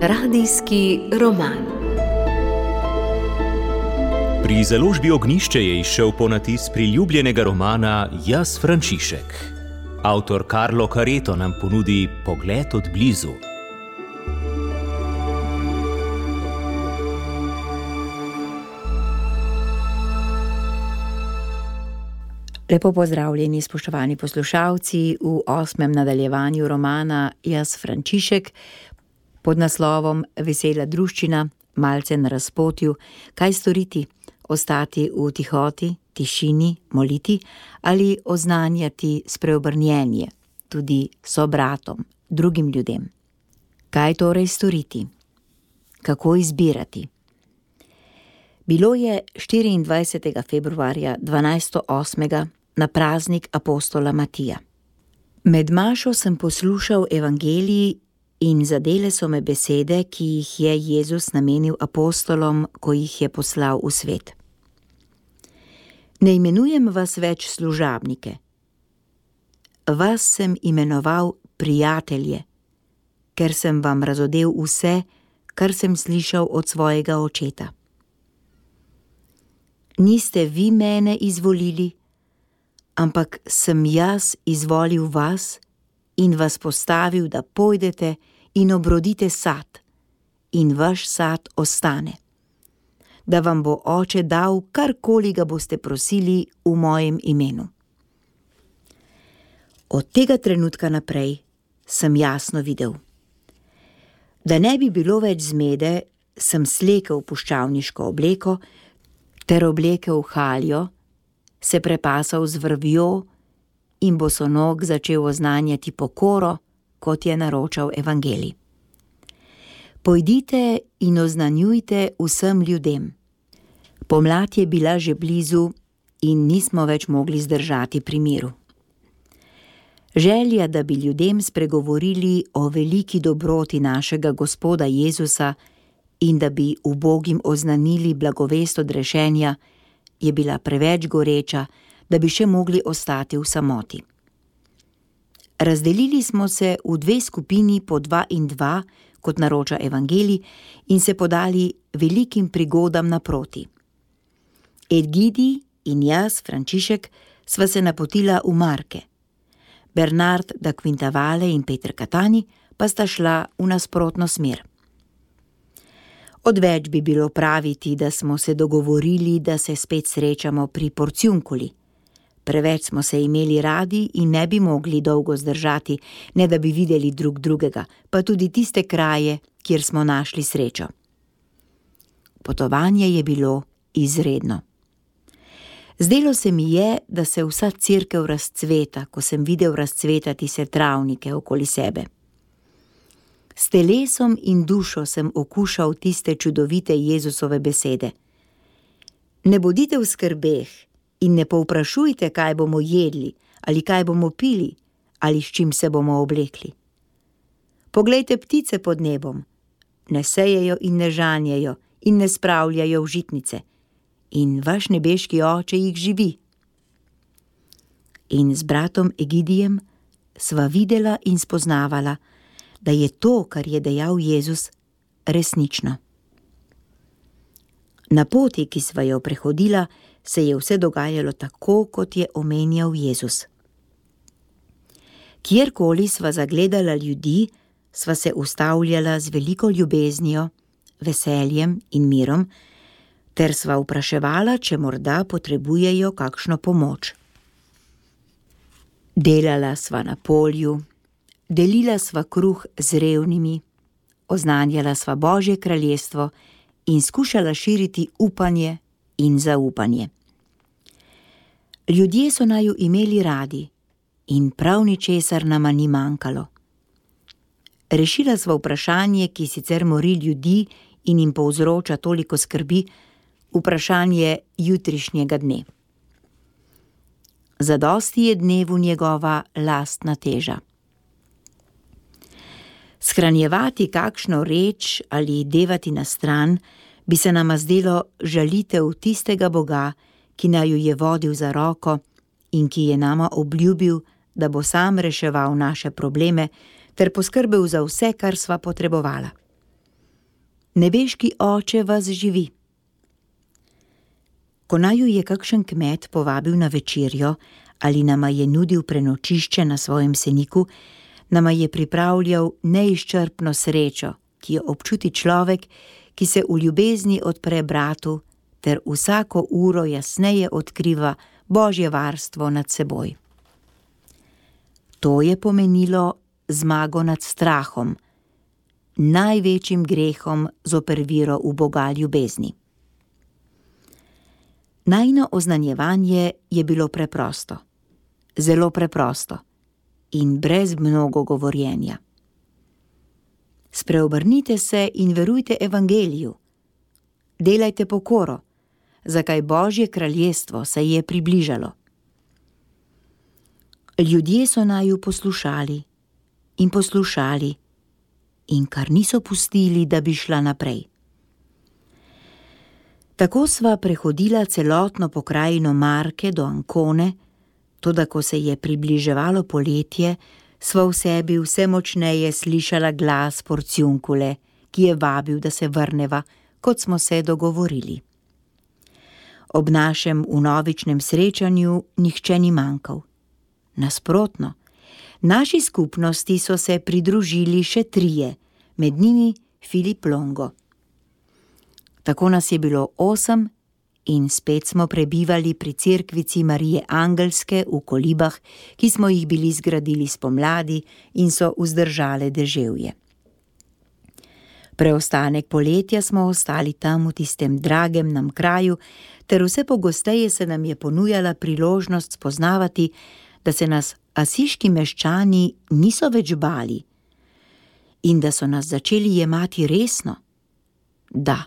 Radijski roman. Pri založbi Ognjišče je izšel ponatis priljubljenega romana Jaz, Frančišek. Avtor Carlo Careto nam ponudi pogled od blizu. Lepo pozdravljeni, spoštovani poslušalci, v 8. nadaljevanju romana Jaz, Frančišek pod naslovom Vesela druščina, malce na razpotju, kaj storiti, ostati v tihoti, tišini, moliti ali oznanjati spreobrnjenje, tudi sobratom, drugim ljudem. Kaj torej storiti? Kako izbirati? Bilo je 24. februarja 1208. na praznik apostola Matija. Med mašo sem poslušal evangelij in zadele so me besede, ki jih je Jezus namenil apostolom, ko jih je poslal v svet. Ne imenujem vas več služabnike. Vas sem imenoval prijatelje, ker sem vam razodel vse, kar sem slišal od svojega očeta. Niste vi mene izvolili, ampak sem jaz izvolil vas in vas postavil, da pojdete in obrodite sad, in vaš sad ostane, da vam bo Oče dal, karkoli ga boste prosili v mojem imenu. Od tega trenutka naprej sem jasno videl. Da ne bi bilo več zmede, sem slekel puščavniško obleko ter oblekel haljo, se prepasal z vrvjo in bosonog začel oznanjati pokoro, kot je naročal evangelij. Pojdite in oznanjujte vsem ljudem. Pomlad je bila že blizu in nismo več mogli zdržati pri miru. Želja, da bi ljudem spregovorili o veliki dobroti našega Gospoda Jezusa in da bi ubogim oznanili blagovest odrešenja, je bila preveč goreča, da bi še mogli ostati v samoti. Razdelili smo se v 2 skupini po 2 in 2, kot naroča evangelij, in se podali velikim prigodam naproti. Egidij in jaz, Frančišek, sva se napotila v Marke. Bernard da Quintavale in Peter Catani pa sta šla v nasprotno smer. Odveč bi bilo praviti, da smo se dogovorili, da se spet srečamo pri Porciunculi. Preveč smo se imeli radi in ne bi mogli dolgo zdržati, ne da bi videli drug drugega, pa tudi tiste kraje, kjer smo našli srečo. Potovanje je bilo izredno. Zdelo se mi je, da se vsa cerkev razcveta, ko sem videl razcvetati se travnike okoli sebe. S telesom in dušo sem okušal tiste čudovite Jezusove besede. Ne bodite v skrbeh in ne povprašujte, kaj bomo jedli, ali kaj bomo pili, ali s čim se bomo oblekli. Poglejte ptice pod nebom, ne sejejo in ne žanjejo in ne spravljajo v žitnice, in vaš nebeški Oče jih živi. In z bratom Egidijem sva videla in spoznavala, da je to, kar je dejal Jezus, resnično. Na poti, ki sva jo prehodila, se je vse dogajalo tako, kot je omenjal Jezus. Kjerkoli sva zagledala ljudi, sva se ustavljala z veliko ljubeznijo, veseljem in mirom, ter sva vpraševala, če morda potrebujejo kakšno pomoč. Delala sva na polju, delila sva kruh z revnimi, oznanjala sva Božje kraljestvo in skušala širiti upanje in zaupanje. Ljudje so naju imeli radi in prav ničesar nama ni manjkalo. Rešila sva vprašanje, ki sicer mori ljudi in jim povzroča toliko skrbi, vprašanje jutrišnjega dne. Zadosti je dnevu njegova lastna teža. Shranjevati kakšno reč ali devati na stran bi se nama zdelo žalitev tistega Boga, ki naju je vodil za roko in ki je nama obljubil, da bo sam reševal naše probleme ter poskrbel za vse, kar sva potrebovala. Nebeški Oče vas živi. Ko naju je kakšen kmet povabil na večerjo ali nama je nudil prenočišče na svojem seniku, nama je pripravljal neizčrpno srečo, ki jo občuti človek, ki se v ljubezni odpre bratu ter vsako uro jasneje odkriva Božje varstvo nad seboj. To je pomenilo zmago nad strahom, največjim grehom zoper vero v Boga ljubezni. Najino oznanjevanje je bilo preprosto, zelo preprosto in brez mnogo govorjenja. Spreobrnite se in verujte evangeliju. Delajte pokoro, zakaj Božje kraljestvo se je približalo. Ljudje so naju poslušali in poslušali in kar niso pustili, da bi šla naprej. Tako sva prehodila celotno pokrajino Marke do Ancone, toda ko se je približevalo poletje, sva v sebi vse močneje slišala glas Porciuncule, ki je vabil, da se vrneva, kot smo se dogovorili. Ob našem vnovičnem srečanju nihče ni manjkal. Nasprotno, naši skupnosti so se pridružili še 3, med njimi Filip Longo. Tako nas je bilo 8 in spet smo prebivali pri cerkvici Marije Angelske v kolibah, ki smo jih bili zgradili spomladi in so vzdržale deževje. Preostanek poletja smo ostali tam v tistem dragem nam kraju, ter vse pogosteje se nam je ponujala priložnost spoznavati, da se nas asiški meščani niso več bali in da so nas začeli jemati resno. Da,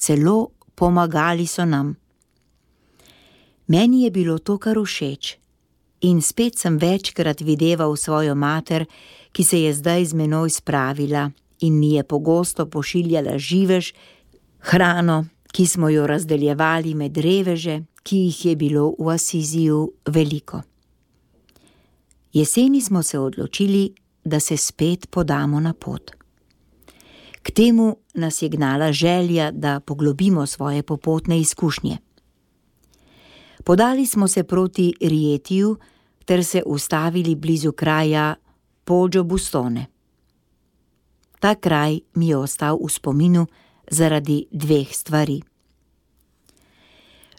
celo pomagali so nam. Meni je bilo to kar všeč in spet sem večkrat videval svojo mater, ki se je zdaj z menoj spravila in mi je pogosto pošiljala živež, hrano, ki smo jo razdeljevali med reveže, ki jih je bilo v Asiziju veliko. Jeseni smo se odločili, da se spet podamo na pot. K temu nas je gnala želja, da poglobimo svoje popotne izkušnje. Podali smo se proti Rietiju ter se ustavili blizu kraja Poggio Bustone. Ta kraj mi je ostal v spominu zaradi 2 stvari.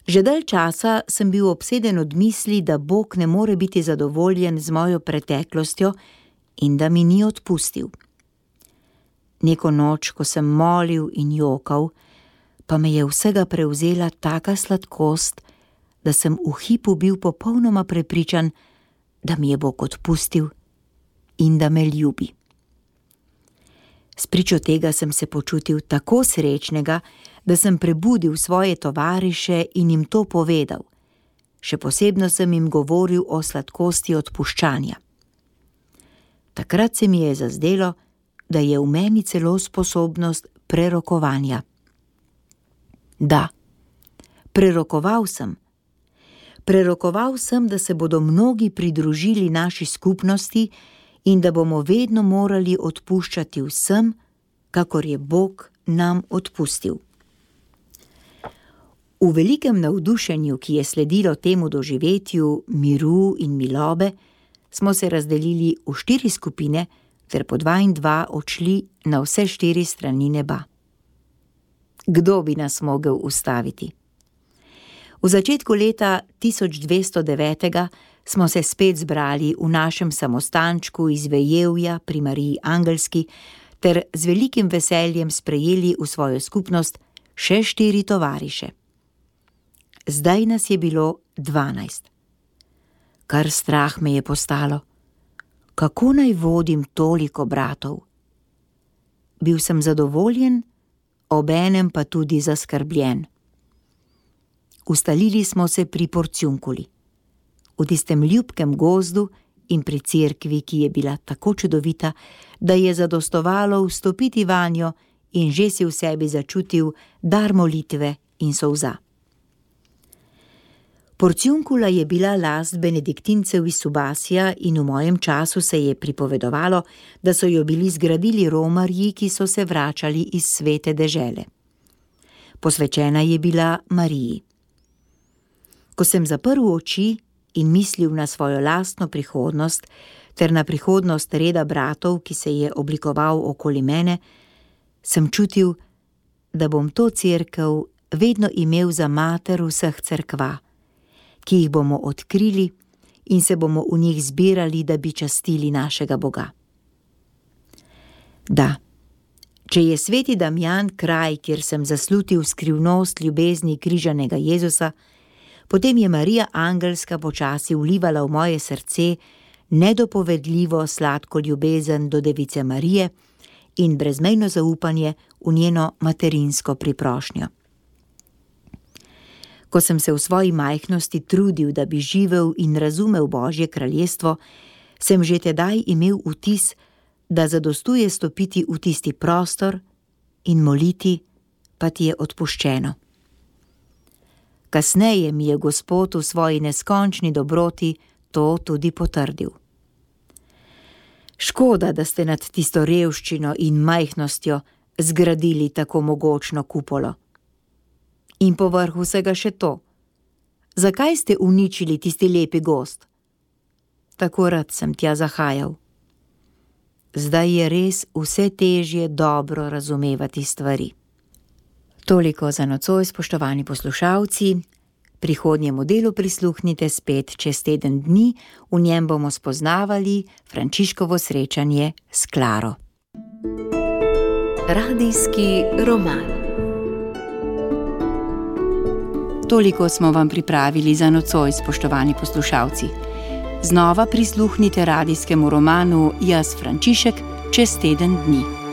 Že dalj časa sem bil obseden od misli, da Bog ne more biti zadovoljen z mojo preteklostjo in da mi ni odpustil. Neko noč, ko sem molil in jokal, pa me je vsega prevzela taka sladkost, da sem v hipu bil popolnoma prepričan, da mi je Bog odpustil in da me ljubi. Spričo tega sem se počutil tako srečnega, da sem prebudil svoje tovariše in jim to povedal. Še posebno sem jim govoril o sladkosti odpuščanja. Takrat se mi je zazdelo, da je v meni celo sposobnost prerokovanja. Da, prerokoval sem. Prerokoval sem, da se bodo mnogi pridružili naši skupnosti in da bomo vedno morali odpuščati vsem, kakor je Bog nam odpustil. V velikem navdušenju, ki je sledilo temu doživetju miru in milobe, smo se razdelili v 4 skupine ter po 2 in 2 odšli na vse 4 strani neba. Kdo bi nas mogel ustaviti? V začetku leta 1209 smo se spet zbrali v našem samostančku iz Vejevja pri Mariji Angelski ter z velikim veseljem sprejeli v svojo skupnost še 4 tovariše. Zdaj nas je bilo 12. Kar strah me je postalo. Kako naj vodim toliko bratov? Bil sem zadovoljen, obenem pa tudi zaskrbljen. Ustalili smo se pri Porciunculi, v tistem ljubkem gozdu in pri cerkvi, ki je bila tako čudovita, da je zadostovalo vstopiti vanjo in že si v sebi začutil dar molitve in solza. Porciuncula je bila last benediktincev iz Subasija in v mojem času se je pripovedovalo, da so jo bili zgradili romarji, ki so se vračali iz svete dežele. Posvečena je bila Mariji. Ko sem zaprl oči in mislil na svojo lastno prihodnost ter na prihodnost reda bratov, ki se je oblikoval okoli mene, sem čutil, da bom to cerkev vedno imel za mater vseh cerkva, ki jih bomo odkrili in se bomo v njih zbirali, da bi častili našega Boga. Da, če je sveti Damjan kraj, kjer sem zaslutil skrivnost ljubezni križanega Jezusa, potem je Marija Angelska počasi vlivala v moje srce nedopovedljivo sladko ljubezen do Device Marije in brezmejno zaupanje v njeno materinsko priprošnjo. Ko sem se v svoji majhnosti trudil, da bi živel in razumel Božje kraljestvo, sem že tedaj imel vtis, da zadostuje stopiti v tisti prostor in moliti, pa ti je odpuščeno. Kasneje mi je Gospod v svoji neskončni dobroti to tudi potrdil. Škoda, da ste nad tisto revščino in majhnostjo zgradili tako mogočno kupolo. In povrh vsega še to. Zakaj ste uničili tisti lepi gozd? Tako rad sem tja zahajal. Zdaj je res vse težje dobro razumevati stvari. Toliko za nocoj, spoštovani poslušalci. Prihodnjemu delu prisluhnite spet čez teden dni, v njem bomo spoznavali Frančiškovo srečanje s Klaro. Radijski roman. Toliko smo vam pripravili za nocoj, spoštovani poslušalci. Znova prisluhnite radijskemu romanu Jaz Frančišek čez teden dni.